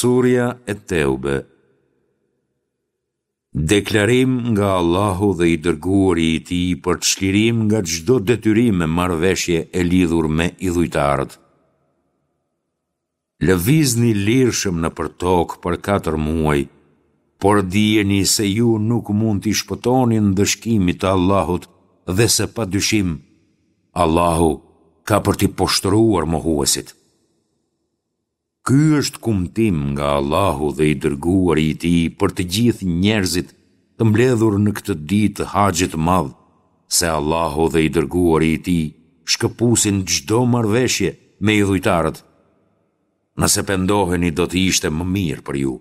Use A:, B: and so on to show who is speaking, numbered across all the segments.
A: Surja Et-Teube Deklarim nga Allahu dhe i Dërguari i Tij për çlirim nga çdo detyrim e marrëveshje e lidhur me idhujtarët. Lëvizni lirshëm nëpër tokë për katër muaj, por dijeni se ju nuk mund t'i shpëtoni ndëshkimit të Allahut dhe se pa dyshim, Allahu ka për t'i poshtëruar mohuesit. Ky është kumtim nga Allahu dhe i Dërguari i Tij për të gjithë njerëzit të mbledhur në këtë ditë të Haxhit të Madh, se Allahu dhe i Dërguari i Tij shkëpusin çdo marrëveshje me idhujtarët. Nëse pendoheni do të ishte më mirë për ju,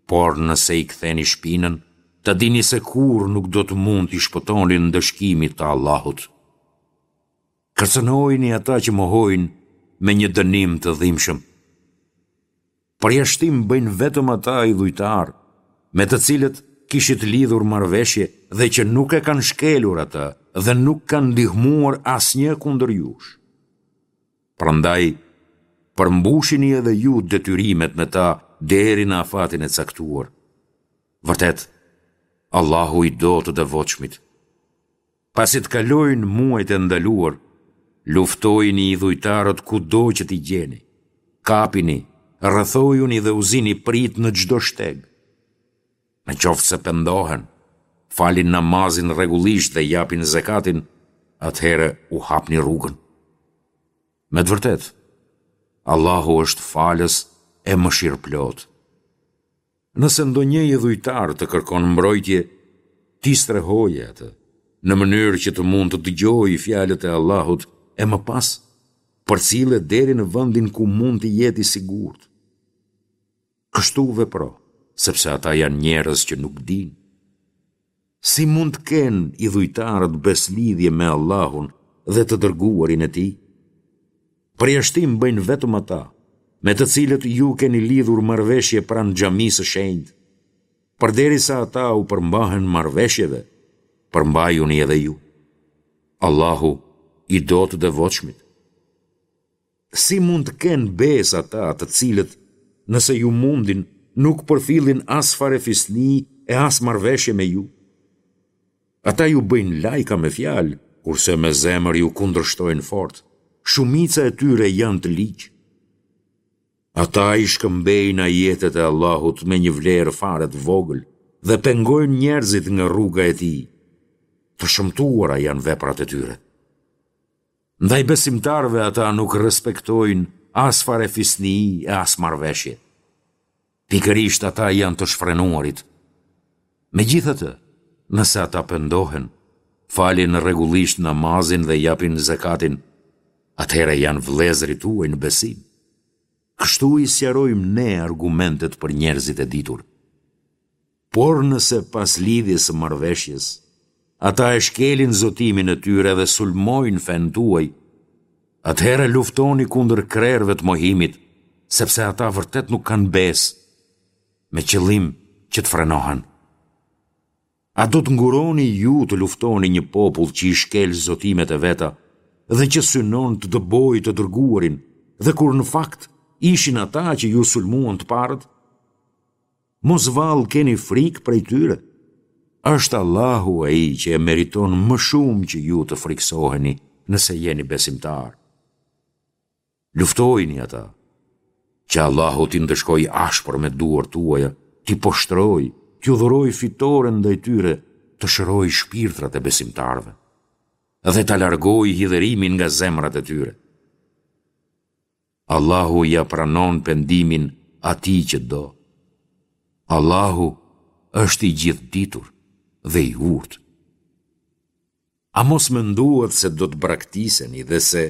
A: por nëse i ktheni shpinën, ta dini se kurrë nuk do të mund t'i shpëtoni ndëshkimit të Allahut. Kërcënojini ata që mohojnë me një dënim të dhimbshëm. Përjashtim bëjnë vetëm ata idhujtarë, me të cilët kishit lidhur marrëveshje dhe që nuk e kanë shkelur atë dhe nuk kanë ndihmuar asnjë kundër jush. Prandaj, përmbushini edhe ju detyrimet me ta deri në afatin e caktuar. Vërtet, Allahu i do të devotshmit. Pasi të kalojnë muajt e ndaluar, luftojini idhujtarët kudo që t'i gjeni. Kapini, rrethojuni dhe u zini pritë në çdo shteg. Në qoftë se pendohen, falin namazin rregullisht dhe japin zekatin, atëherë u hapni rrugën. Me të vërtetë, Allahu është falës e mëshirëplotë. Nëse ndonjë idhujtar të kërkon mbrojtje, ti strehoje atë, në mënyrë që të mund të dëgjojë fjalët e Allahut e më pas përcille deri në vendin ku mund të jetë i sigurt. Kështu vepro, sepse ata janë njerëz që nuk dinë. Si mund të kenë idhujtarët besëlidhje me Allahun dhe të Dërguarin e Tij? Përjashtim bëjnë vetëm ata, me të cilët ju keni lidhur marrëveshje pranë Xhamisë së Shenjtë. Përderisa ata u përmbahen marrëveshjeve, përmbajuni edhe ju. Allahu i do të devotshmit. Si mund të kenë besë ata të cilët, nëse ju mundin, nuk përfillin as farefisni e as marrëveshje me ju? Ata ju bëjnë lajka me fjalë, kurse me zemër ju kundërshtojnë fort. Shumica e tyre janë të ligj. Ata i shkëmbejnë ajetet e Allahut me një vlerë fare të vogël dhe pengojnë njerëzit nga rruga e Tij. Të shëmtuara janë veprat e tyre. Ndaj besimtarëve ata nuk respektojnë as farefisni e as marrëveshje. Pikërisht ata janë të shfrenuarit. Megjithatë, nëse ata pendohen, falin rregullisht namazin dhe japin zekatin, atëherë janë vëllezërit tuaj në besim. Kështu i sqarojmë ne argumentet për njerëzit e ditur. Por nëse pas lidhjes së marrëveshjes, ata e shkelin zotimin e tyre dhe sulmojnë fenë tuaj, atëherë luftoni kundër krerëve të mohimit, sepse ata vërtet nuk kanë besë, me qëllim që të frenohen. A do të nguroni ju të luftoni një popull që i shkel zotimet e veta dhe që synon të dëbojë të dërguarin dhe kur në fakt ishin ata që ju sulmuan të parët? Mos vallë keni frikë prej tyre? Është Allahu ai që e meriton më shumë që ju të frikësoheni nëse jeni besimtarë. Luftojini ata, që Allahu t'i ndëshkojë ashpër me duart tuaja, t'i poshtërojë, t'ju dhurojë fitoren ndaj tyre, të shërojë shpirtrat e besimtarëve dhe ta largojë hidhërimin nga zemrat e tyre. Allahu ia pranon pendimin atij që do. Allahu është i gjithëditur dhe i urtë. A mos menduat se do të braktiseni dhe se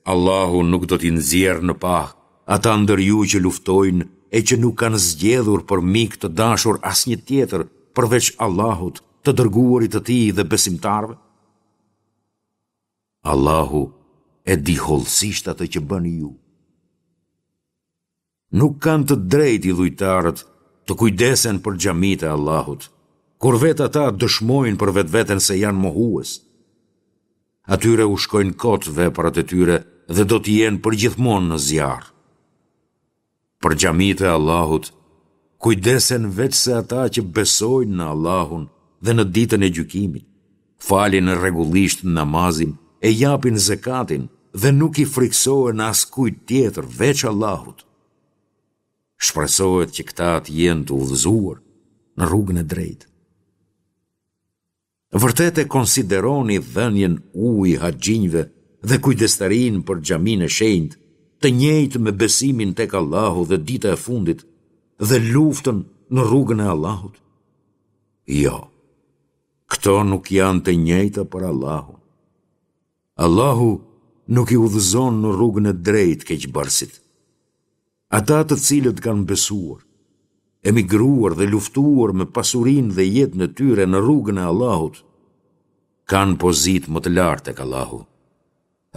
A: Allahu nuk do t'i nxjerrë në pah ata ndër ju që luftojnë e që nuk kanë zgjedhur për mik të dashur asnjë tjetër përveç Allahut, të dërguarit të Tij dhe besimtarëve? Allahu e di hollësisht atë që bëni ju. Nuk kanë të drejtë idhujtarët të kujdesen për xhamitë e Allahut, kur vetë ata dëshmojnë për vetveten se janë mohues. Atyre u shkojnë kot veprat e tyre dhe do të jenë përgjithmonë në zjarr. Për xhamitë e Allahut. kujdesen veçse ata që besojnë në Allahun dhe në Ditën e Gjykimit, falin rregullisht namazin e japin zekatin dhe nuk i frikësohen askujt tjetër veç Allahut. Shpresohet që këta të jenë të udhëzuar në rrugën e drejtë. Vërtet e konsideroni dhënien ujë haxhinjve dhe kujdestarinë për xhaminë e shenjtë të njëjtë me besimin tek Allahu dhe dita e fundit dhe luftën në rrugën e Allahut? Jo. Këto nuk janë të njëjta për Allahun. Allahu nuk i udhëzon në rrugën e drejtë keqbërësit. Ata të cilët kanë besuar, emigruar dhe luftuar me pasurinë dhe jetën e tyre në rrugën e Allahut, kanë pozitë më të lartë tek Allahu,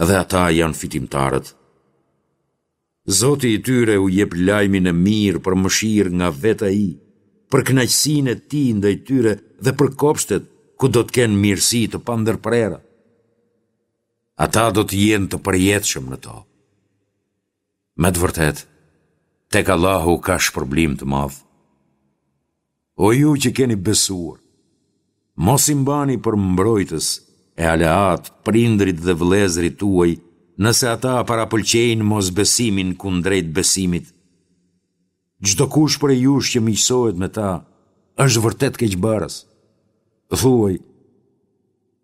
A: dhe ata janë fitimtarët. Zoti i tyre u jep lajmin e mirë për mëshirë nga vetë Ai, për kënaqësinë e Tij ndaj tyre dhe për kopshtet ku do të kenë mirësi të pandërprera. Ata do të jenë të përjetshëm në to. Me të vërtetë, tek Allahu ka shpërblim të madh. O ju që keni besuar, mos i mbani për mbrojtës e aleatë prindërit dhe vëllezërit tuaj, nëse ata parapëlqejnë mosbesimin kundrejt besimit. Çdokush prej jush që miqësohet me ta, është vërtet keqbërës. Thuaj,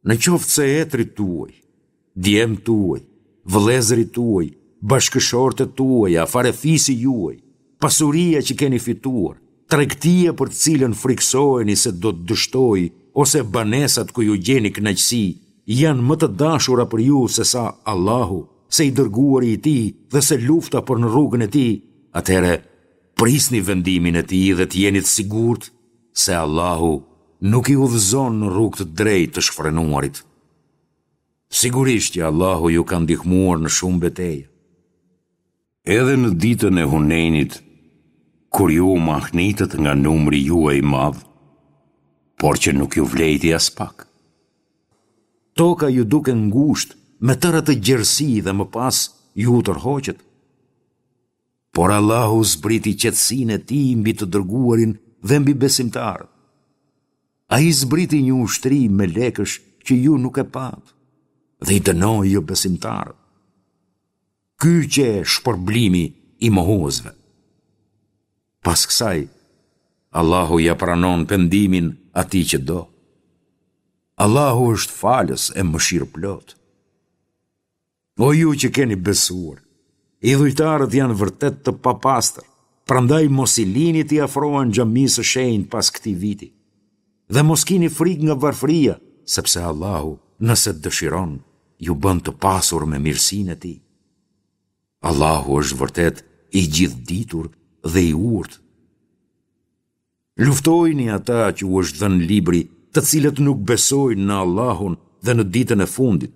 A: në qoftë se etërit tuaj, djemtë tuaj, vëllezërit tuaj, bashkëshortet tuaja, farefisi juaj, pasuria që keni fituar, tregtia për të cilën frikësoheni se do të dështojë ose banesat ku ju gjeni kënaqësi, janë më të dashura për ju sesa Allahu, se i dërguari i Tij dhe se lufta për në rrugën e Tij, atëherë prisni vendimin e Tij dhe të jeni të sigurt se Allahu nuk i udhëzon në rrugë të drejtë të shfrenuarit. Sigurisht që Allahu ju ka ndihmuar në shumë beteja.
B: Edhe në ditën e Hunejnit, kur ju u mahnitët nga numri juaj i madh, por që nuk ju vlejti aspak.
A: Toka ju duk e ngushtë me tërë atë gjerësi dhe më pas ju u tërhoqët. Por Allahu zbriti qetësinë e Tij mbi të dërguarin dhe mbi besimtarët. Ai zbriti një ushtri melekësh që ju nuk e patë dhe i dënoi jobesimtarët. Ky qe shpërblimi i mohuesve. Pas kësaj, Allahu ia pranon pendimin atij që do. Allahu është falës e mëshirëplotë. O ju që keni besuar, idhujtarët janë vërtet të papastër, prandaj mos i lini t'i afrohen xhamisë së shenjtë pas këtij viti. Dhe mos kini frikë nga varfëria, sepse Allahu, nëse dëshiron, ju bën të pasur me mirësinë e Tij. Allahu është vërtet i gjithëditur dhe i urtë. Luftojini ata që u është dhënë libri, të cilët nuk besojnë në Allahun dhe në ditën e fundit,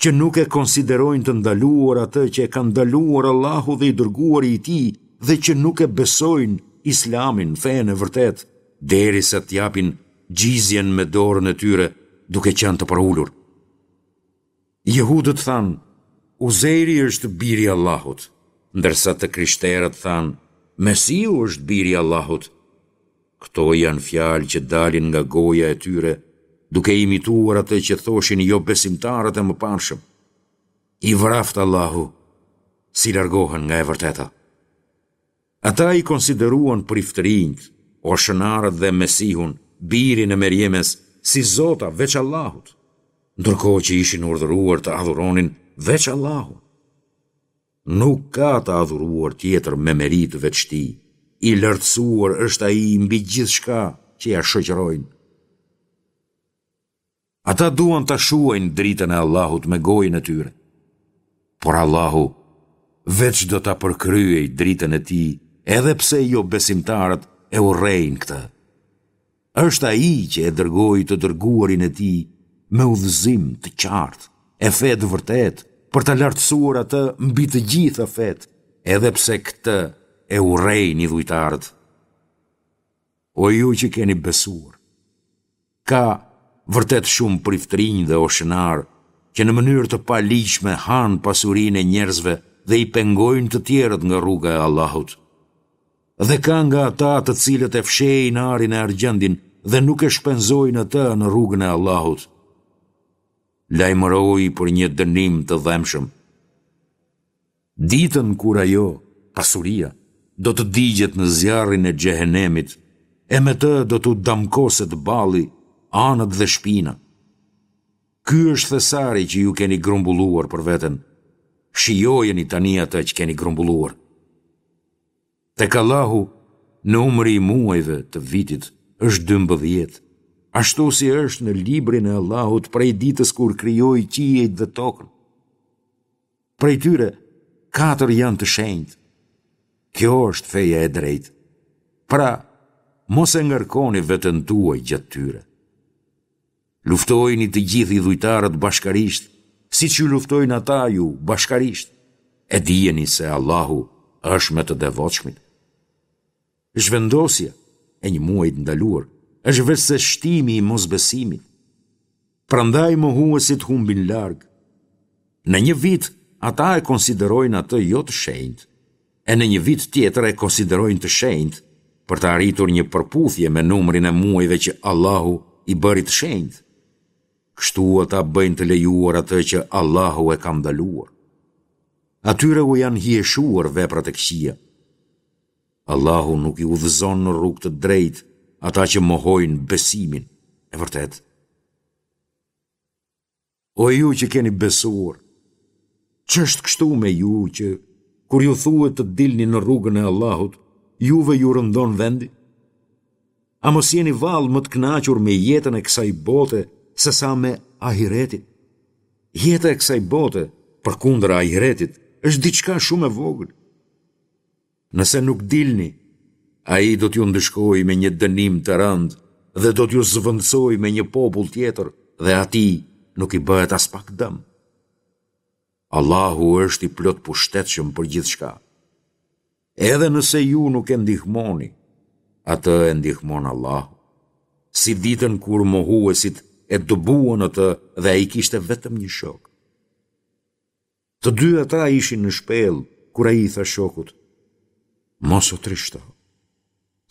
A: që nuk e konsiderojnë të ndaluar atë që e ka ndaluar Allahu dhe i dërguari i Tij dhe që nuk e besojnë Islamin, fenë e vërtetë, derisa të japin xhizjen me dorën e tyre duke qenë të përulur. Jehudët thanë, Uzejri është biri i Allahut, ndërsa të krishterët thanë, Mesihu është biri i Allahut. Këto janë fjalë që dalin nga goja e tyre, duke imituar atë që thoshin jobesimtarët e mëparshëm. I vraftë Allahu, si largohen nga e vërteta. Ata i konsideruan priftërinjtë, oshënarët dhe Mesihun, birin e Merjemes, si zota veç Allahut, ndërkohë që ishin urdhëruar të adhuronin veç Allahun. Nuk ka të adhuruar tjetër me meritë veç Tij, i lartësuar është Ai mbi gjithçka që ia shoqërojnë. Ata duan ta shuajnë dritën e Allahut me gojën e tyre. Por Allahu veç do ta përkryejë dritën e Tij, edhe pse jobesimtarët e urrejnë këtë. Është Ai që e dërgoi të dërguarin e Tij me udhëzim të qartë e fe të vërtetë për ta lartësuar atë mbi të gjitha fetë, edhe pse këtë e urrejnë idhujtarët. O ju që keni besuar, ka vërtet shumë priftërinj dhe oshënarë që në mënyrë të paligjshme hanë pasurinë e njerëzve dhe i pengojnë të tjerët nga rruga e Allahut. Dhe ka nga ata të cilët e fshehin arin e argjendin dhe nuk e shpenzojnë atë në rrugën e Allahut. Lajmëroji për një dënim të dhembshëm. Ditën kur ajo, pasuria, do të digjet në zjarrin e xhehenemit, e me të do t'u damkoset balli, anët dhe shpina. Ky është thesari që ju keni grumbulluar për veten. Shijojeni tani atë që keni grumbulluar. Tek Allahu, numri i muajve të vitit është 12, ashtu si është në librin e Allahut prej ditës kur krijoi qiejt dhe tokën. Prej tyre, katër janë të shenjtë. Kjo është feja e drejtë. Pra, mos e ngarkoni veten tuaj gjatë tyre. Luftojini të gjithë idhujtarët bashkarisht, siç ju luftojnë ata ju bashkarisht, e dijeni se Allahu është me të devotshmit. Zhvendosja e një muaji të ndaluar është veçse shtimi i mosbesimit. Prandaj mohuesit humbin larg. Në një vit ata e konsiderojnë atë jo të shenjtë, e në një vit tjetër e konsiderojnë të shenjtë, për të arritur një përputhje me numrin e muajve që Allahu i bëri të shenjtë. Kështu ata bëjnë të lejuar atë që Allahu e ka ndaluar. Atyre u janë hijeshuar veprat e këqija. Allahu nuk i udhëzon në rrugë të drejtë ata që mohojnë besimin e vërtetë. O ju që keni besuar, ç'është kështu me ju që, kur ju thuhet të dilni në rrugën e Allahut, juve ju rëndon vendi? A mos jeni vallë më të kënaqur me jetën e kësaj bote sesa me ahiretin? Jeta e kësaj bote, përkundër ahiretit, është diçka shumë e vogël. Nëse nuk dilni, ai do t'ju ndëshkojë me një dënim të rëndë dhe do t'ju zëvendësojë me një popull tjetër dhe atij nuk i bëhet aspak dëm. Allahu është i plotpushtetshëm për gjithçka. Edhe nëse ju nuk e ndihmoni, atë e ndihmon Allahu. Si ditën kur mohuesit e dëbuan atë dhe ai kishte vetëm një shok. Të dy ata ishin në shpellë, kur ai i tha shokut, Mos u trishto,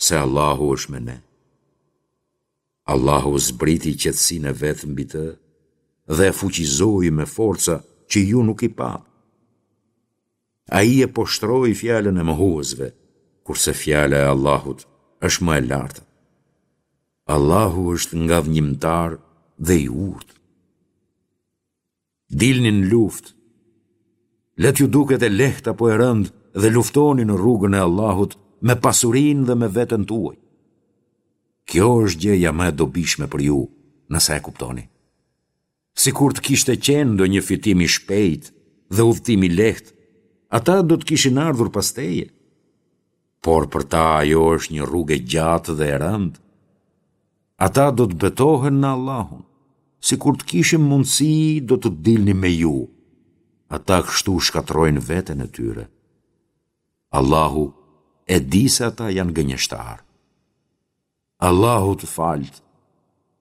A: se Allahu është me ne. Allahu zbriti qetësinë e vet mbi të dhe e fuqizoi me forca që ju nuk i patë. Ai e poshtëroi fjalën e mohuesve, kurse fjala e Allahut është më e lartë. Allahu është ngadhënjimtar dhe i urtë. Dilni në luftë. Le t'ju duket e lehtë apo e rëndë dhe luftoni në rrugën e Allahut me pasurinë dhe me veten tuaj. Kjo është gjëja më e dobishme për ju, nëse e kuptoni. Sikur të kishte qenë ndonjë fitim i shpejtë dhe udhëtim i lehtë, ata do të kishin ardhur pas teje. Por për ta ajo është një rrugë e gjatë dhe e rëndë. Ata do të betohen në Allahun, sikur të kishim mundësi do të dilnim me ju. Ata kështu shkatërrojnë veten e tyre. Allahu e di se ata janë gënjeshtarë. Allahu të faltë,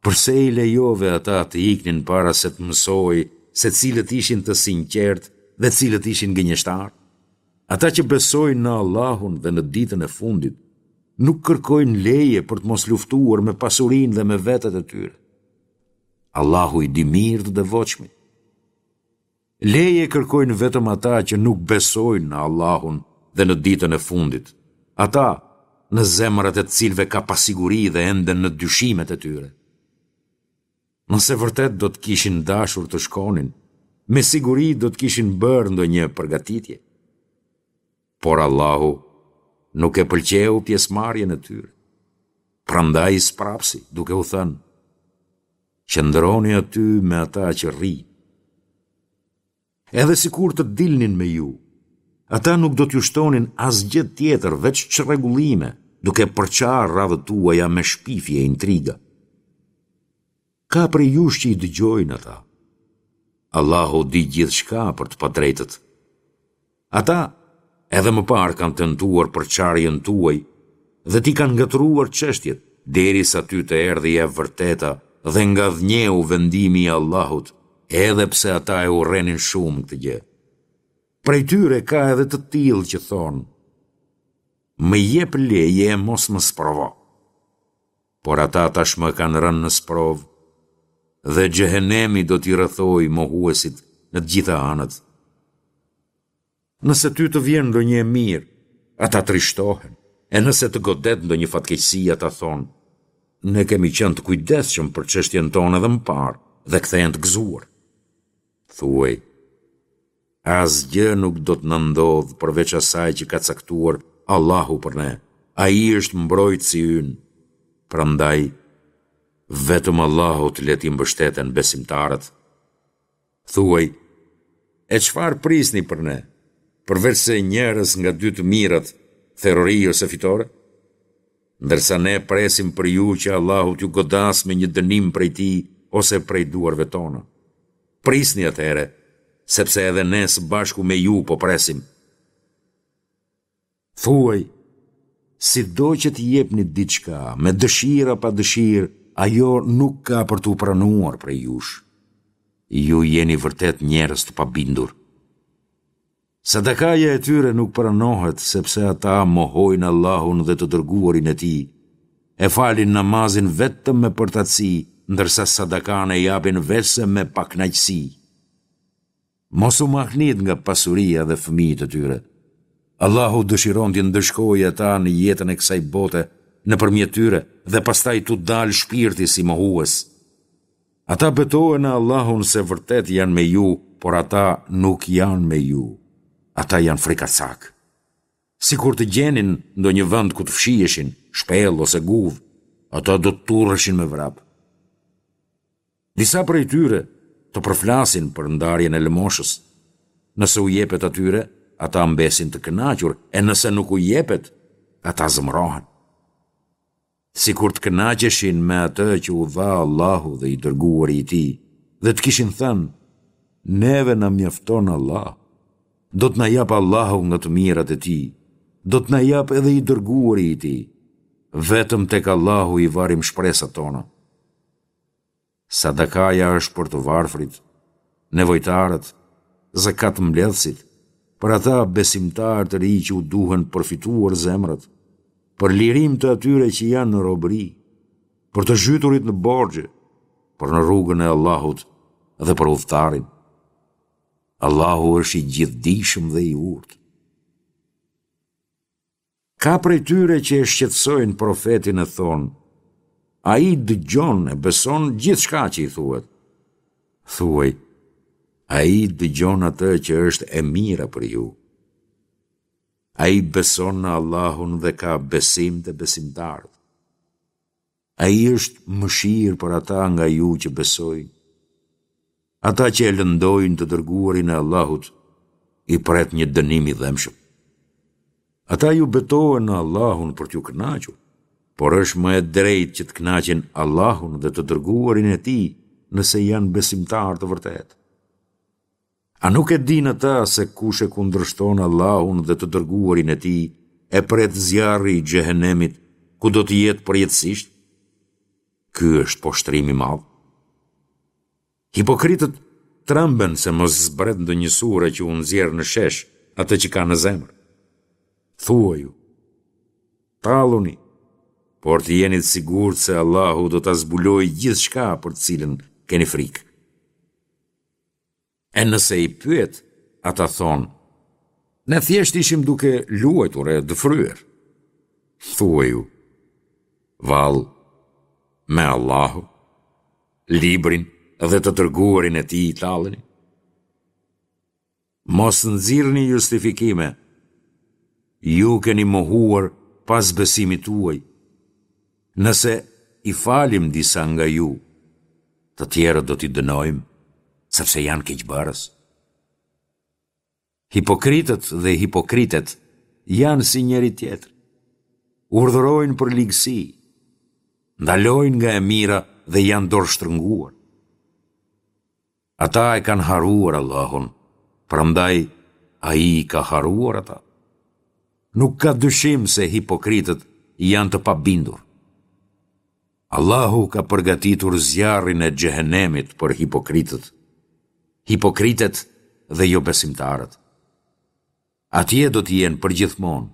A: përse i lejove ata të iknin para se të mësohej se cilët ishin të sinqertë dhe cilët ishin gënjeshtarë? Ata që besojnë në Allahun dhe në ditën e fundit, nuk kërkojnë leje për të mos luftuar me pasurinë dhe me vetet e tyre. Allahu i di mirë të devotshmit. Leje kërkojnë vetëm ata që nuk besojnë në Allahun dhe në ditën e fundit, ata në zemrat e të cilëve ka pasiguri dhe enden në dyshimet e tyre. Nëse vërtet do të kishin dashur të shkonin, me siguri do të kishin bërë ndonjë përgatitje. Por Allahu nuk e pëlqeu pjesëmarrjen e tyre. Prandaj i sprapsi, duke u thënë, Qëndroni aty me ata që rrinë. Edhe sikur të dilnin me ju, ata nuk do t'ju shtonin asgjë tjetër veç çrregullime, duke përçarë radhët tuaja me shpifje e intriga. Ka prej jush që i dëgjojnë ata. Allahu di gjithçka për të padrejtët. Ata edhe më parë kanë tentuar përçarjen tuaj dhe t'i kanë ngatërruar çështjet, derisa ty të erdhi e vërteta dhe ngadhënjeu vendimi i Allahut, edhe pse ata e urrenin shumë këtë gjë. Prej tyre ka edhe të tillë që thonë. Më jep leje e mos më sprovo. Por ata tashmë kanë rënë në sprovë dhe xhehenemi do t'i rrethojë mohuesit në të gjitha anët. Nëse ty të vjen ndonjë e mirë, ata trishtohen, e nëse të godet ndonjë fatkeqësi, ata thonë, ne kemi qenë të kujdesshëm për çështjen tonë edhe më parë dhe kthehen të gëzuar. Thuaj, asgjë nuk do të na ndodhë përveç asaj që ka caktuar Allahu për ne. Ai është mbrojtësi ynë. Prandaj, vetëm Allahut le t'i mbështeten besimtarët. Thuaj, e çfarë prisni për ne, përveçse njërës nga dy të mirat, therori ose fitore? Ndërsa ne presim për ju që Allahu t'ju godasë me një dënim prej tij ose prej duarve tona. Prisni atëherë, sepse edhe ne së bashku me ju po presim. Thuaj, sido që të jepni diçka, me dëshirë a pa dëshirë, ajo nuk ka për t'u pranuar prej jush. Ju jeni vërtet njerëz të pabindur. Sadakaja e tyre nuk pranohet sepse ata mohojnë Allahun dhe të dërguarin e Tij, e falin namazin vetëm me përtaci, ndërsa sadakanë e japin veçse me pakënaqësi. Mos u mahnit nga pasuria dhe fëmijët e tyre. Allahu dëshiron t'i ndëshkojë ata në jetën e kësaj bote nëpërmjet tyre dhe pastaj t'u dalë shpirti si mohues. Ata betohen në Allahun se vërtet janë me ju, por ata nuk janë me ju. Ata janë frikacakë. Sikur të gjenin ndonjë vend ku të fshiheshin, shpellë ose guvë, ata do të turreshin me vrap. Disa prej tyre të përflasin për ndarjen e lëmoshës. Nëse u jepet atyre, ata mbesin të kënaqur, e nëse nuk u jepet, ata zemërohen. Sikur të kënaqeshin me atë që u dha Allahu dhe i dërguari i tij, dhe të kishin thënë, neve na mjafton Allahu, do të na japë Allahu nga të mirat e tij, do të na japë edhe i dërguari i tij, vetëm tek Allahu i varim shpresat tona. Sadakaja është për të varfrit, nevojtarët, zekatmbledhësit, për ata besimtarë të ri që u duhen përfituar zemrat, për lirim të atyre që janë në robëri, për të zhyturit në borxhe, për në rrugën e Allahut dhe për udhëtarin. Allahu është i gjithëdijshëm dhe i urtë. Ka prej tyre që e shqetësojnë profetin e thonë, Ai dëgjon e beson gjithçka që i thuhet. Thuaj, Ai dëgjon atë që është e mira për ju. Ai beson në Allahun dhe ka besim te besimtarët. Ai është mëshirë për ata nga ju që besojnë. Ata që e lëndojnë të dërguarin e Allahut, i pret një dënim i dhembshëm. Ata ju betohen në Allahun për t'ju kënaqur, por është më e drejtë që të kënaqin Allahun dhe të dërguarin e tij nëse janë besimtarë të vërtetë. A nuk e dinë ata se kush e kundërshton Allahun dhe të dërguarin e tij, e pret zjarri i xhehenemit, ku do të jetë përjetësisht? Ky është poshtërim i madh. Hipokritët tremben se mos zbret ndonjë sure që u nxjerr në shesh atë që kanë në zemër. Thuaju, talluni, por të jeni të sigurt se Allahu do ta zbulojë gjithçka për të cilën keni frikë. E nëse i pyet, ata thonë, ne thjesht ishim duke luajtur e dëfryer. Thuaju, vallë, me Allahun, librin dhe të dërguarin e tij talleni? Mos nxirrni justifikime. Ju keni mohuar pas besimit tuaj. Nëse i falim disa nga ju, të tjerët do t'i dënojmë, sepse janë keqbërës. Hipokritët dhe hipokritet janë si njëri-tjetri. Urdhërojnë për ligësi, ndalojnë nga e mira dhe janë dorështrënguar. Ata e kanë harruar Allahun, prandaj Ai i ka harruar ata. Nuk ka dyshim se hipokritët janë të pabindur. Allahu ka përgatitur zjarrin e xhehenemit për hipokritët, hipokritet dhe jobesimtarët. Atje do të jenë përgjithmonë.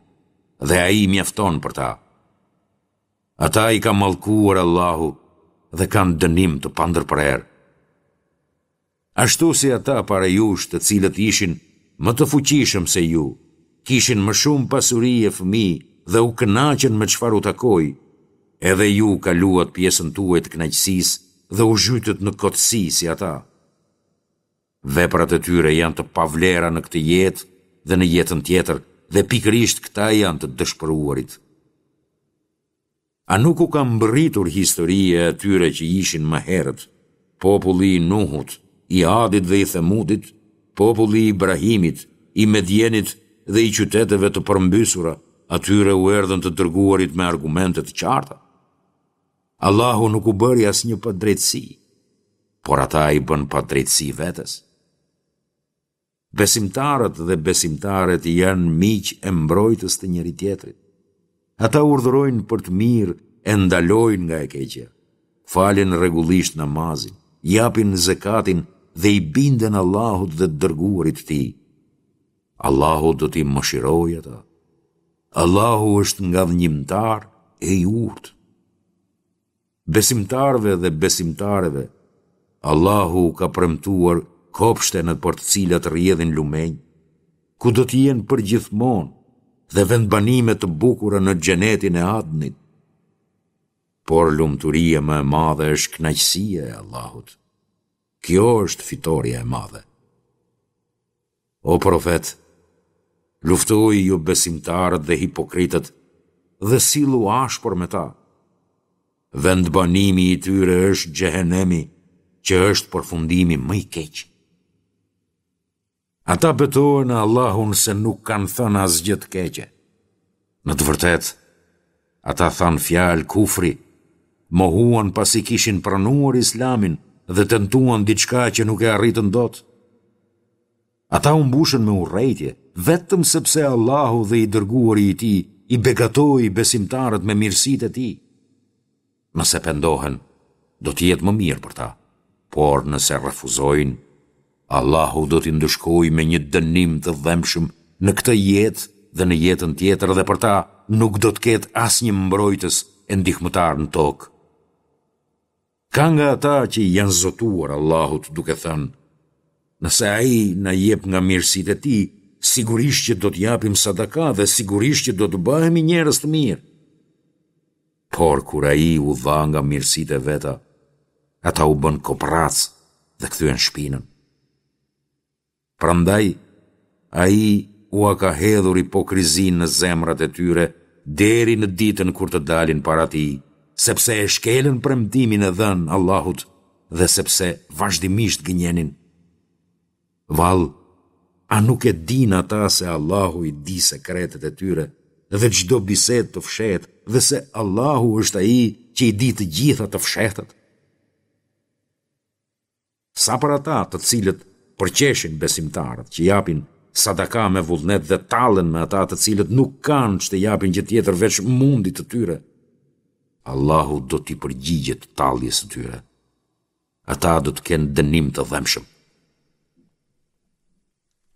A: Dhe Ai mjafton për ta. Ata i ka mallkuar Allahu dhe kanë dënim të pandërprerë. Ashtu si ata para jush të cilët ishin më të fuqishëm se ju, kishin më shumë pasuri e fëmijë dhe u kënaqën me çfarë u takoi, edhe ju kaluat pjesën tuaj të kënaqësisë dhe u zhytët në kotësi si ata. Veprat e tyre janë të pavlera në këtë jetë dhe në jetën tjetër dhe pikërisht këta janë të dëshpëruarit. A nuk u ka mbërritur historia e atyre që ishin më herët, populli i Nuhut, i Adit dhe i Themudit, populli i Ibrahimit, i Medjenit dhe i qyteteve të përmbysura, atyre u erdhën të dërguarit me argumente të qarta? Allahu nuk u bëri asnjë padrejtësi, por ata i bënë padrejtësi vetes. Besimtarët dhe besimtaret janë miq e mbrojtës të njëri-tjetrit. Ata urdhërojnë për të mirë e ndalojnë nga e keqja, falin rregullisht namazin, japin zekatin dhe i binden Allahut dhe të dërguarit të Tij. Allahu do t'i mëshirojë ata. Allahu është ngadhënjimtar e i urtë. Besimtarëve dhe besimtareve, Allahu u ka premtuar kopshte nëpër të cilat rrjedhin lumenj, ku do të jenë përgjithmonë dhe vendbanime të bukura në xhenetin e Adnit. Por lumturia më e madhe është kënaqësia e Allahut. Kjo është fitorja e madhe. O profet, luftoji jobesimtarët dhe hipokritët dhe sillu ashpër me ta. Vendbanimi i tyre është xhehenemi, që është përfundimi më i keq. Ata betohen në Allahun se nuk kanë thënë asgjë të keqe. Në të vërtetë, ata thanë fjalë kufri, mohuan pasi kishin pranuar Islamin dhe tentuan diçka që nuk e arritën dot. Ata u mbushën me urrejtje, vetëm sepse Allahu dhe i dërguari i tij i begatoi besimtarët me mirësitë e tij. Nëse pendohen, do të jetë më mirë për ta, por nëse refuzojnë, Allahu do t'i ndëshkojë me një dënim të dhembshëm në këtë jetë dhe në jetën tjetër dhe për ta nuk do të ketë asnjë mbrojtës e ndihmëtar në tokë. Ka nga ata që i janë zotuar Allahut duke thënë, Nëse Ai na jep nga mirësitë e Tij, sigurisht që do të japim sadaka dhe sigurisht që do të bëhemi njerëz të mirë. Por kur Ai u dha nga mirësitë e veta, ata u bënë koprracë dhe kthyen shpinën. Prandaj, Ai ua ka hedhur hipokrizinë në zemrat e tyre deri në ditën kur të dalin para Tij, sepse e shkelën premtimin e dhënë Allahut dhe sepse vazhdimisht gënjenin. Vallë, a nuk e dinë ata se Allahu i di sekretet e tyre dhe çdo bisedë të fshehtë dhe se Allahu është Ai që i di të gjitha të fshehtat? Sa për ata të cilët përqeshin besimtarët që japin sadaka me vullnet dhe tallen me ata të cilët nuk kanë ç'të japin gjë tjetër veç mundit të tyre, Allahu do t'i përgjigjet talljes së tyre. Ata do të kenë dënim të dhembshëm.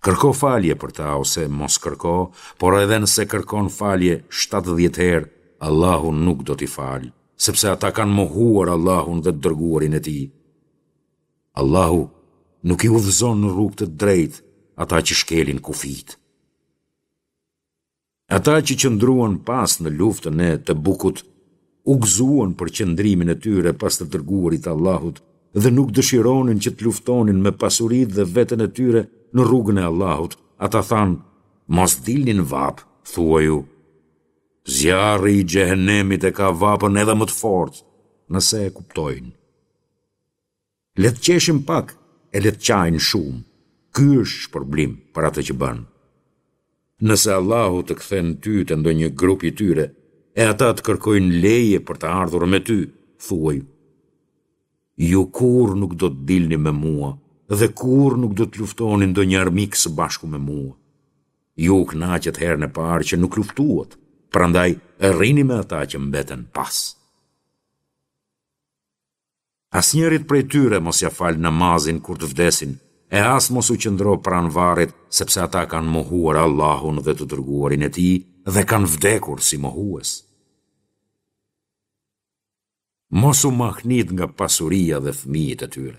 A: Kërko falje për ta ose mos kërko, por edhe nëse kërkon falje 70 herë, Allahu nuk do t'i falë, sepse ata kanë mohuar Allahun dhe të dërguarin e tij. Allahu nuk i udhëzon në rrugë të drejtë ata që shkelin kufijtë. Ata që qëndruan pas në luftën e Tebukut, u gëzuan për qëndrimin e tyre pas të dërguarit të Allahut dhe nuk dëshironin që të luftonin me pasuritë dhe veten e tyre në rrugën e Allahut. Ata thanë, mos dilni në vapë, thuaju, zjarri i xhehenemit e ka vapën edhe më të fortë, nëse e kuptojnë. Le të qeshin pak e le të qajnë shumë, ky është shpërblim për atë që bënë. Nëse Allahu të kthen ty te ndonjë grup i tyre, e ata të kërkojnë leje për të ardhur me ty, thuaju, Ju kurrë nuk do të dilni me mua dhe kurrë nuk do të luftoni ndonjë armik së bashku me mua. Ju u kënaqët herën e parë që nuk luftuat, prandaj rrini me ata që mbeten pas. Asnjërit prej tyre mos ia fal namazin kur të vdesin, e as mos u qëndro pranë varrit, sepse ata kanë mohuar Allahun dhe të Dërguarin e Tij dhe kanë vdekur si mohues. Mos u mahnit nga pasuria dhe fëmijët e tyre.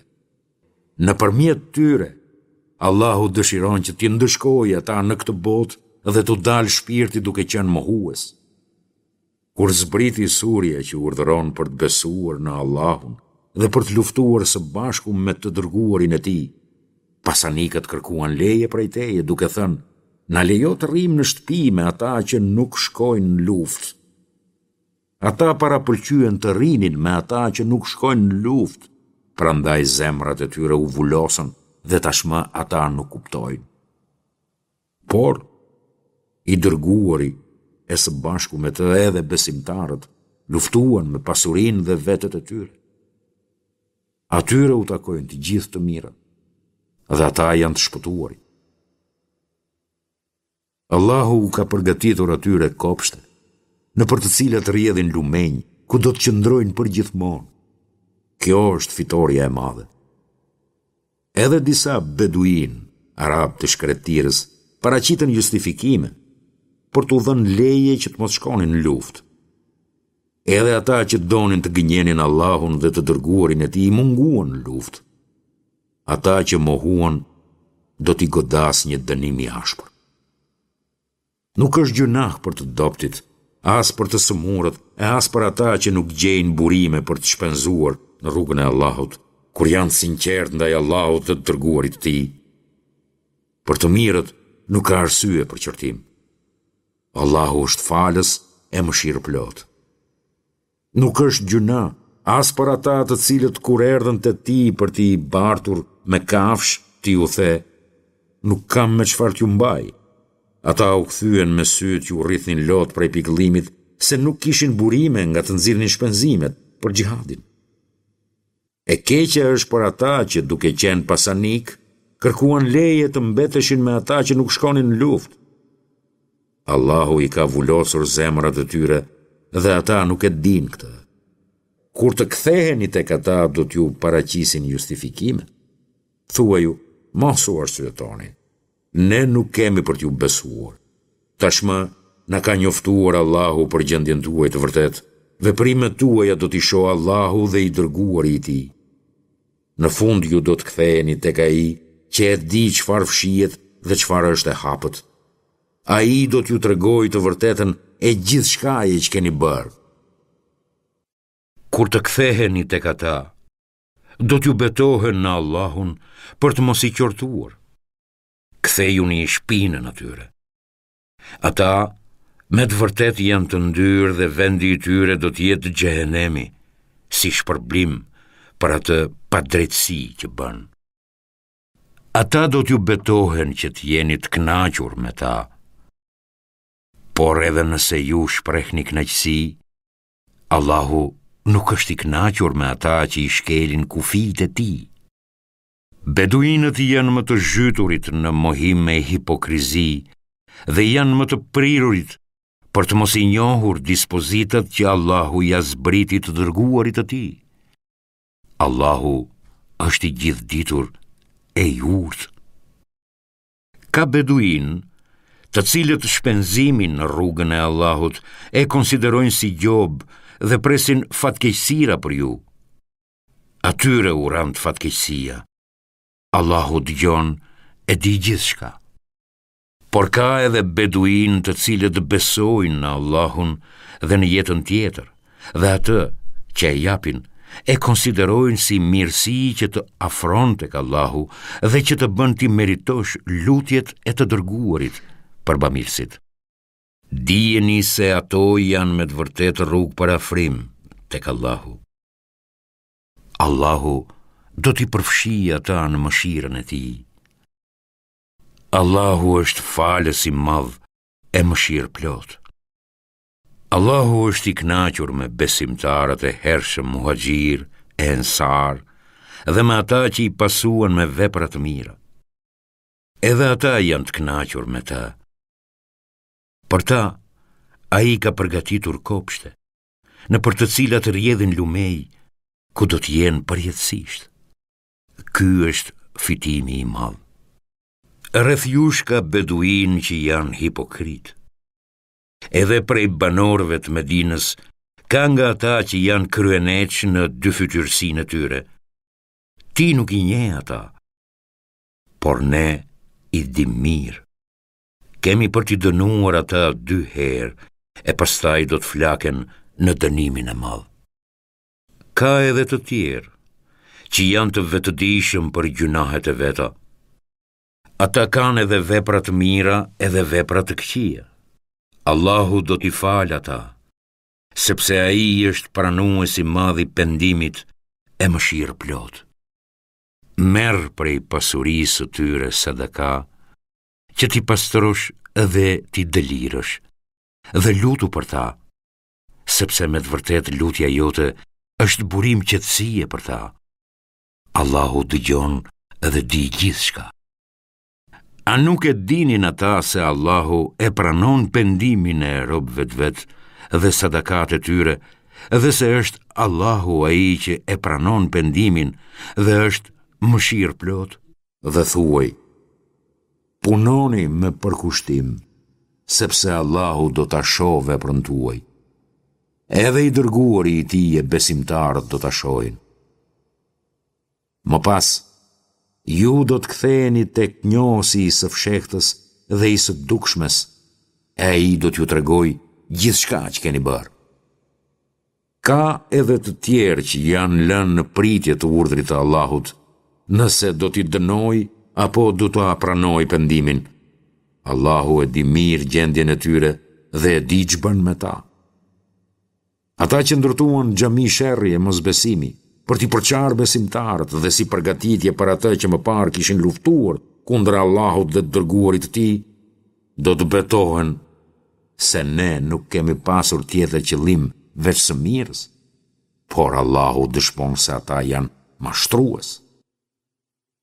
A: Nëpërmjet tyre, Allahu dëshiron që t'i ndëshkojë ata në këtë botë dhe t'u dalë shpirti duke qenë mohues. Kur zbriti surja që urdhëron për të besuar në Allahun dhe për të luftuar së bashku me të dërguarin e tij, pasanikët kërkuan leje prej teje duke thënë, na lejo të rrimë në shtëpi me ata që nuk shkojnë në luftë. Ata parapëlqyen të rrinin me ata që nuk shkojnë në luftë, prandaj zemrat e tyre u vulosën dhe tashmë ata nuk kuptojnë. Por, i dërguari e së bashku me të edhe besimtarët luftuan me pasurinë dhe vetet e tyre. Atyre u takojnë të gjithë të mirat dhe ata janë të shpëtuarit. Allahu u ka përgatitur atyre kopshte, nëpër të cilat rrjedhin lumenj, ku do të qëndrojnë përgjithmonë. Kjo është fitorja e madhe. Edhe disa beduinë, arabë të shkretëtirës, paraqitën justifikime për t'u dhënë leje që të mos shkonin në luftë. Edhe ata që donin të gënjenin Allahun dhe të dërguarin e tij munguan në luftë. Ata që mohuan do t'i godasë një dënim i ashpër. Nuk është gjynah për të dobëtit, as për të sëmurët e as për ata që nuk gjejnë burime për të shpenzuar në rrugën e Allahut, kur janë të sinqertë ndaj Allahut dhe të dërguarit të Tij. Për të mirët nuk ka arsye për qortim. Allahu është falës e mëshirëplotë. Nuk është gjynah as për ata të cilët kur erdhën te ti për t'i bartur me kafshë, ti u the, nuk kam me çfarë t'ju mbaj. Ata u kthyen me sytë që u rridhnin lot prej pikëllimit se nuk kishin burime nga të nxirrnin shpenzimet për xhihadin. E keqja është për ata që duke qenë pasanikë, kërkuan leje të mbeteshin me ata që nuk shkonin në luftë. Allahu i ka vulosur zemrat e tyre dhe ata nuk e dinë këtë. Kur të ktheheni tek ata do t'ju paraqisin justifikime. Thuaju, mos u arsyetoni. Ne nuk kemi për t'ju besuar. Tashmë na ka njoftuar Allahu për gjendjen tuaj të vërtetë. Veprimet tuaja do t'i shohë Allahu dhe i dërguari i Tij. Në fund ju do të ktheheni tek Ai që e di çfarë fshihet dhe çfarë është e hapët. Ai do t'ju tregojë të vërtetën e gjithçkaje që keni bërë. Kur të ktheheni tek ata, do t'ju betohen në Allahun për të mos i qortuar. Kthejuni shpinën atyre. Ata me të vërtetë janë të ndyrë dhe vendi i tyre do të jetë xhehenemi, si shpërblim për atë padrejtësi që bënë. Ata do t'ju betohen që të jeni të kënaqur me ta, por edhe nëse ju shprehni kënaqësi, Allahu nuk është i kënaqur me ata që i shkelin kufijtë e tij. Beduinët janë më të zhyturit në mohim e hipokrizi dhe janë më të prirurit për të mos i njohur dispozitat që Allahu ia zbriti të dërguarit të tij. Allahu është i gjithëditur e i urtë. Ka beduinë, të cilët shpenzimin në rrugën e Allahut e konsiderojnë si gjobë dhe presin fatkeqësira për ju. Atyre u rëntë fatkeqësia. Allahu dëgjon e di gjithçka. Por ka edhe beduinë të cilët besojnë në Allahun dhe në jetën tjetër dhe atë që e japin e konsiderojnë si mirësi që të afron tek Allahu dhe që të bën t'i meritosh lutjet e të dërguarit për bamirësit. Dijeni se ato janë me të vërtetë rrugë për afrim tek Allahu. Allahu do t'i përfshijë ata në mëshirën e tij. Allahu është falës i madh e mëshirëplotë. Allahu është i kënaqur me besimtarët e hershëm muhaxhirë e ensarë dhe me ata që i pasuan me vepra të mira. Edhe ata janë të kënaqur me të. Për ta, ai ka përgatitur kopshte, nëpër të cilat rrjedhin lumenj, ku do të jenë përjetësisht. Ky është fitimi i madh. Rreth jush ka beduinë që janë hipokritë.
B: Edhe prej banorëve të Medinës, ka nga ata që janë kryeneçë në dyfytyrësinë e tyre. Ti nuk i njeh ata, por ne i dimë mirë. Kemi për t'i dënuar ata dy herë, e pastaj do të flaken në dënimin e madh. Ka edhe të tjerë, që janë të vetëdijshëm për gjynahet e veta. Ata kanë edhe vepra të mira edhe vepra të këqija. Allahu do t'i falë ata, sepse Ai është pranues i madh i pendimit e mëshirëplotë. Merr prej pasurisë së tyre sadaka, që t'i pastrosh dhe t'i dëlirësh, dhe lutu për ta, sepse me të vërtetë lutja jote është burim qetësie për ta. Allahu dëgjon dhe di gjithçka. A nuk e dinin ata se Allahu e pranon pendimin e robëve të vet dhe sadakat e tyre dhe se është Allahu ai që e pranon pendimin dhe është mëshirëplotë? Dhe thuaj, punoni me përkushtim, sepse Allahu do ta shohë veprën tuaj. Edhe i dërguari i tij e besimtarët do ta shohin. Më pas, ju do të ktheheni tek njohësi i së fshehtës dhe i së dukshmes, e ai do t'ju tregojë gjithçka që keni bërë. Ka edhe të tjerë që janë lënë në pritje të urdhrit të Allahut, nëse do t'i dënojë apo do t'ua pranojë pendimin. Allahu e di mirë gjendjen e tyre dhe e di ç'bën me ta. Ata që ndërtuan xhami sherri e mosbesimi, për t'i përçarë besimtarët dhe si përgatitje për atë që më parë kishin luftuar kundër Allahut dhe të dërguarit të tij, do të betohen se ne nuk kemi pasur tjetër qëllim veç së mirës, por Allahu dëshmon se ata janë mashtrues.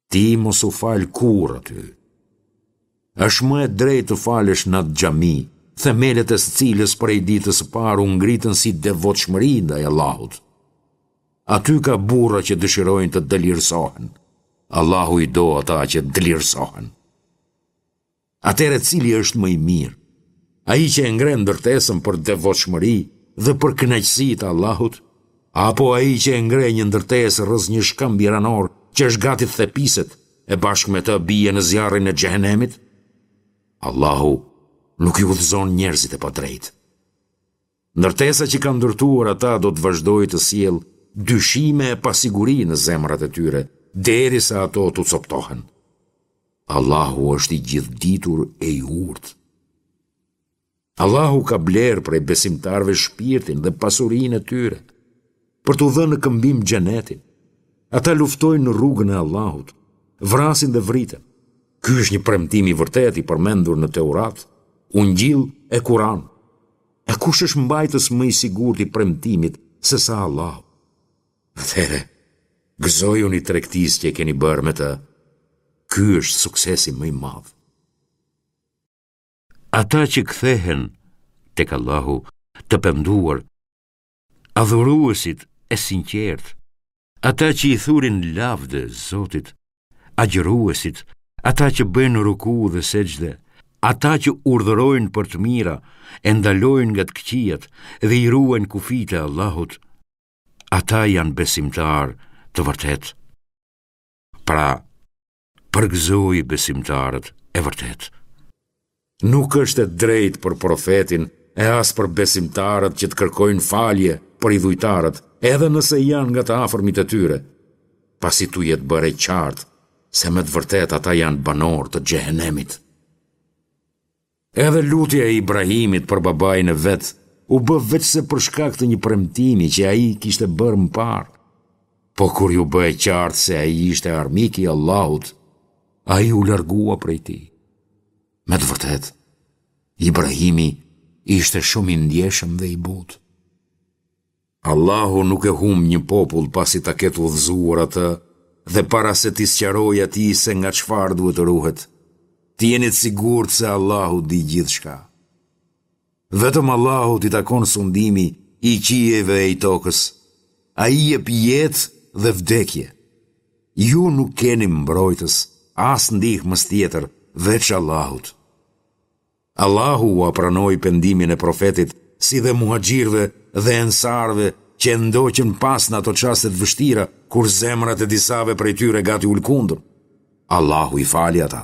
B: Ti mos u fal kurrë aty. Është më e drejtë të falesh në atë xhami, themelet e së cilës prej ditës së parë u ngritën si devotshmëri ndaj Allahut. Aty ka burra që dëshirojnë të dëlirësohen. Allahu i do ata që dëlirësohen. Atëherë cili është më i mirë? Ai që e ngre ndërtesën për devotshmëri dhe për kënaqësi të Allahut, apo ai që e ngre një ndërtesë rrëzë një shkëmbi ranor që është gati të thepiset e bashkë me të bie në zjarrin e xhehenemit? Allahu nuk i udhëzon njerëzit e padrejtë. Ndërtesa që kanë ndërtuar ata do të vazhdojë të sjellë dyshime e pasiguri në zemrat e tyre, derisa ato t'u coptohen. Allahu është i gjithëditur e i urtë. Allahu ka blerë prej besimtarëve shpirtin dhe pasurinë e tyre, për t'u dhënë në këmbim xhenetin. Ata luftojnë në rrugën e Allahut, vrasin dhe vriten. Ky është një premtim i vërtetë i përmendur në Teurat, Ungjill e Kur'an. E kush është mbajtës më i sigurt i premtimit sesa Allahu? Atëherë, gëzojuni tregtisë që e keni bërë me të. Ky është suksesi më i madh. Ata që kthehen tek Allahu të penduar, adhuruesit e sinqertë, ata që i thurin lavde Zotit, agjëruesit, ata që bëjnë ruku dhe sexhde, ata që urdhërojnë për të mira e ndalojnë nga të këqijat dhe i ruajnë kufijtë e Allahut, ata janë besimtarë të vërtetë. Pra, përgëzoji besimtarët e vërtetë. Nuk është e drejtë për profetin e as për besimtarët që të kërkojnë falje për idhujtarët, edhe nëse janë nga të afërmit e tyre, pasi t'u jetë bërë e qartë se me të vërtetë ata janë banorë të xhehenemit. Edhe lutja e Ibrahimit për babain e vet u bë veçse për shkak të një premtimi që ai kishte bërë më parë. Po kur iu bë e qartë se ai ishte armik i Allahut, ai u largua prej tij. Me të vërtetë, Ibrahimi ishte shumë i ndjeshëm dhe i butë. Allahu nuk e humb një popull pasi ta ketë udhëzuar atë dhe para se t'i sqarojë atij se nga çfarë duhet të ruhet. Të jeni të sigurt se Allahu di gjithçka. Vetëm Allahut i takon sundimi i qiejve e i tokës. Ai jep jetë dhe vdekje. Ju nuk keni mbrojtës, as ndihmës tjetër, veç Allahut.
A: Allahu ua pranoi pendimin e Profetit, si dhe muhaxhirëve dhe ensarëve që e ndoqën pas në ato çaste të vështira, kur zemrat e disave prej tyre gati u lëkundën. Allahu i fali ata.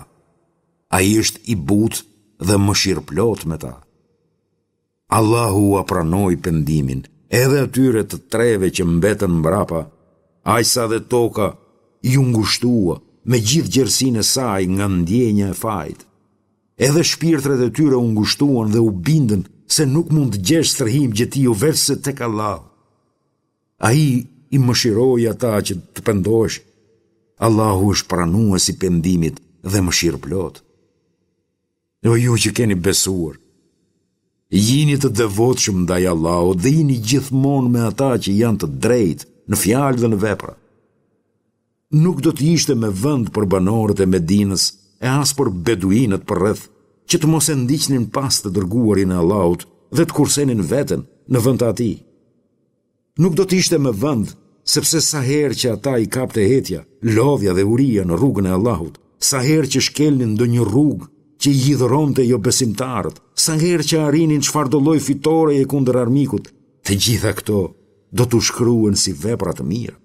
A: Ai është i butë dhe mëshirëplotë me ta. Allahu ua pranoi pendimin edhe atyre të treve që mbetën mbrapa, aq sa dhe toka iu ngushtua me gjithë gjerësinë e saj nga ndjenja e fajit. Edhe shpirtrat e tyre u ngushtuan dhe u bindën se nuk mund të gjesh strehim gjetiu veçse tek Allahu. Ai i mëshiroi ata që të pendoheshin. Allahu është pranues i pendimit dhe mëshirëplotë. O ju që keni besuar, jini të devotshëm ndaj Allahut dhe jini gjithmonë me ata që janë të drejtë në fjalë dhe në vepra. Nuk do të ishte me vend për banorët e Medinës e as për beduinët përreth që të mos e ndiqnin pas të dërguarin e Allahut dhe të kursenin veten në vend të atij. Nuk do të ishte me vend, sepse sa herë që ata i kapte etja, lodhja dhe uria në rrugën e Allahut, sa herë që shkelnin ndonjë rrugë që i hidhëronte jobesimtarët, sa herë që arrinin çfarëdo lloj fitoreje kundër armikut, të gjitha këto do t'u shkruhen si vepra të mira.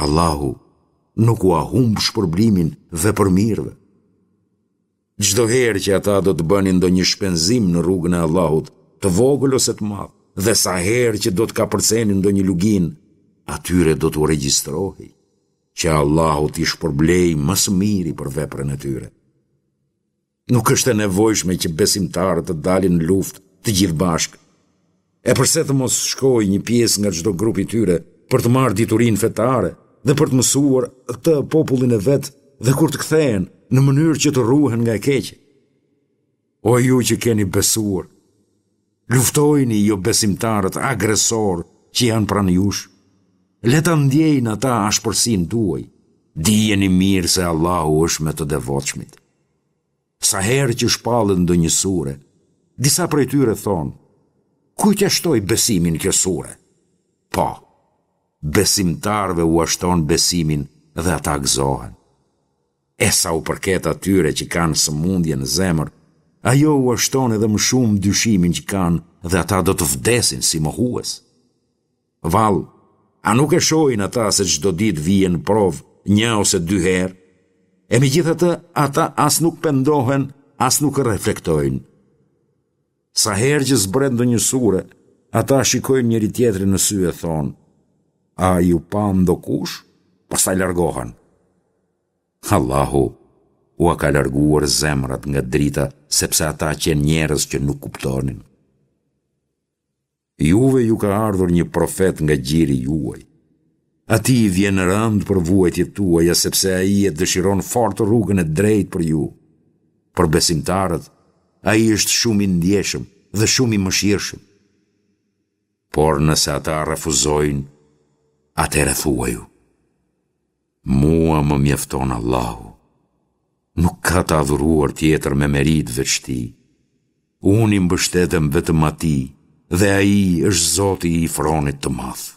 A: Allahu nuk ua humb shpërblimin vepërmirëve. Çdo herë që ata do të bënin ndonjë shpenzim në rrugën e Allahut, të vogël ose të madh, dhe sa herë që do të kapërcenin ndonjë luginë, atyre do t'u regjistrohej, që Allahu t'i shpërblejë më së miri për veprën e tyre. Nuk është e nevojshme që besimtarët të dalin në luftë të gjithë bashkë. E përse të mos shkojë një pjesë nga çdo grup i tyre për të marrë diturinë fetare dhe për të mësuar atë popullin e vet dhe kur të kthehen në mënyrë që të ruhen nga e keqja. O ju që keni besuar, luftojini jobesimtarët agresorë që janë pranë jush. Le ta ndjejnë ata ashpërsinë tuaj. Dijeni mirë se Allahu është me të devotshmit. Sa herë që shpallet ndonjë sure, disa prej tyre thonë, kujt ia shtoi besimin kjo sure? Po, besimtarëve ua shton besimin dhe ata gëzohen. E sa u përket atyre që kanë sëmundje në zemër, ajo ua shton edhe më shumë dyshimin që kanë dhe ata do të vdesin si mohues. Vallë, a nuk e shohin ata se çdo ditë vihen në provë një ose dy herë? E megjithatë, ata as nuk pendohen, as nuk reflektojnë. Sa herë që zbret ndonjë sure, ata shikojnë njëri-tjetrin në sy e thonë, a ju pa ndokush? Pastaj largohen. Allahu ua ka larguar zemrat nga drita, sepse ata qenë njerëz që nuk kuptonin. Juve ju ka ardhur një profet nga gjiri juaj. Atij i vjen rëndë për vuajtjet tuaja sepse ai e dëshiron fort rrugën e drejtë për ju. Për besimtarët, ai është shumë i ndjeshëm dhe shumë i mëshirshëm. Por nëse ata refuzojnë, atëherë thuaju: Mua më mjafton Allahu. Nuk ka të adhuruar tjetër me meritë veç Tij. Unë i mbështetem vetëm Atij dhe Ai është Zoti i fronit të madh.